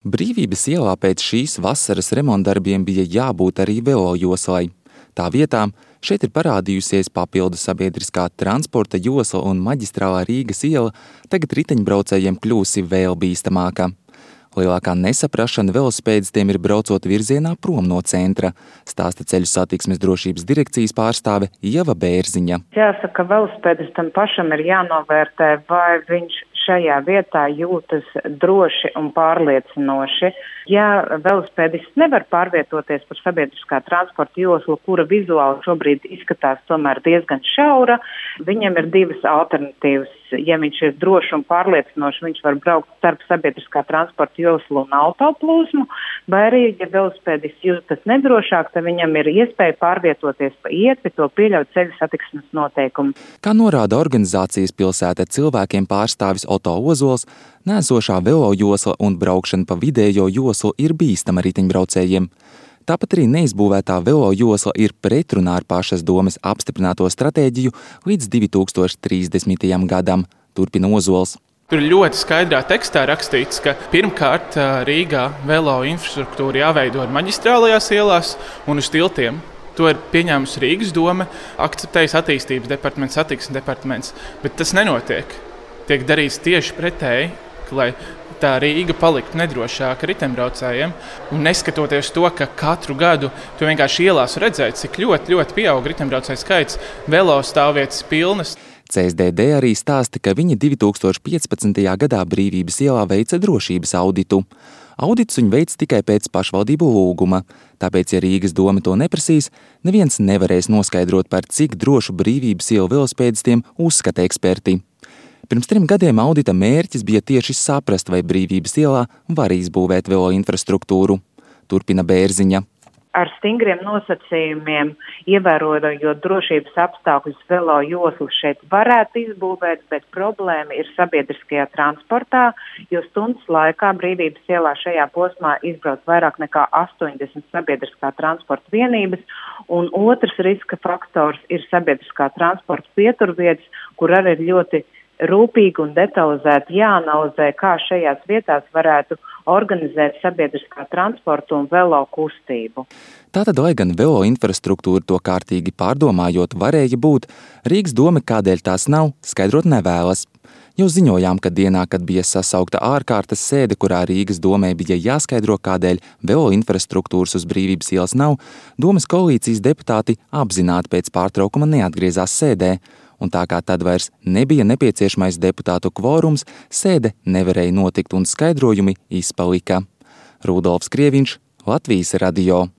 Brīvības ielā pēc šīs vasaras remontdarbiem bija jābūt arī velojoslai. Tā vietā šeit ir parādījusies papildu sabiedriskā transporta josla un maģistrālā Rīgas iela tagad riteņbraucējiem kļūsi vēl bīstamāka. Lielākā nesaprašana velospēdistiem ir braucot virzienā prom no centra, stāsta Ceļu satiksmes drošības direkcijas pārstāve Ieva Bērziņa. Jāsaka, velospēdistam pašam ir jānovērtē, vai viņš šajā vietā jūtas droši un pārliecinoši. Ja velospēdists nevar pārvietoties par sabiedriskā transporta joslu, kura vizuāli šobrīd izskatās tomēr diezgan šaura, viņam ir divas alternatīvas. Ja viņš ir droši un pārliecinoši, viņš var braukt starp sabiedriskā transporta joslu un autoplūsmu, vai arī, ja velospēdists jūtas nedrošāk, tad viņam ir iespēja pārvietoties pa ietvi, to pieļaut ceļu satiksmes noteikumu. Kā norāda organizācijas Pilsēta cilvēkiem pārstāvis Oto Ozols, neesošā velojosla un braukšana pa vidējo joslu ir bīstama riteņbraucējiem. Tāpat arī neizbūvētā velojosla ir pretrunā ar pašas domes apstiprināto stratēģiju līdz 2030. gadam, turpina Ozols. Tur ļoti skaidrā tekstā rakstīts, ka pirmkārt Rīgā velo infrastruktūra jāveido ar maģistrālajās ielās un uz tiltiem. To ir pieņēmusi Rīgas doma, akceptējis attīstības departaments, satiksmes departaments, bet tas nenotiek. Tiek darīts tieši pretēji, lai tā Rīga paliktu nedrošāka riteņbraucējiem. Un neskatoties to, ka katru gadu tu vienkārši ielās redzēt, cik ļoti pieaug riteņbraucēju skaits, velo stāvvietas pilnas. CSDD arī stāsta, ka viņi 2015. gadā Brīvības ielā veica drošības auditu. Audits viņi veic tikai pēc pašvaldību lūguma, tāpēc, ja Rīgas doma to neprasīs, neviens nevarēs noskaidrot, par cik drošu Brīvības ielu velospēdistiem uzskata eksperti. Pirms 3 gadiem audita mērķis bija tieši saprast, vai Brīvības ielā var izbūvēt velo infrastruktūru, turpina Bērziņa. Ar stingriem nosacījumiem, ievērojot drošības apstākļus, velo joslu šeit varētu izbūvēt, bet problēma ir sabiedriskajā transportā, jo stundas laikā Brīvības ielā šajā posmā izbrauc vairāk nekā 80 sabiedriskā transporta vienības, un otrs riska faktors ir sabiedriskā transporta pieturvietas, kur arī ir ļoti rūpīgi un detalizēti jāanalizē, kā šajās vietās varētu organizēt sabiedriskā transporta un velo kustību. Tātad, lai gan velo infrastruktūra to kārtīgi pārdomājot varēja būt, Rīgas doma, kādēļ tās nav, skaidrot nevēlas. Jau ziņojām, ka dienā, kad bija sasaukta ārkārtas sēde, kurā Rīgas domai bija jāskaidro, kādēļ velo infrastruktūras uz Brīvības ielas nav, domas koalīcijas deputāti apzināti pēc pārtraukuma neatgriezās sēdē, un tā kā tad vairs nebija nepieciešamais deputātu kvorums, sēde nevarēja notikt un skaidrojumi izpalika. Rudolfs Krieviņš, Latvijas radio.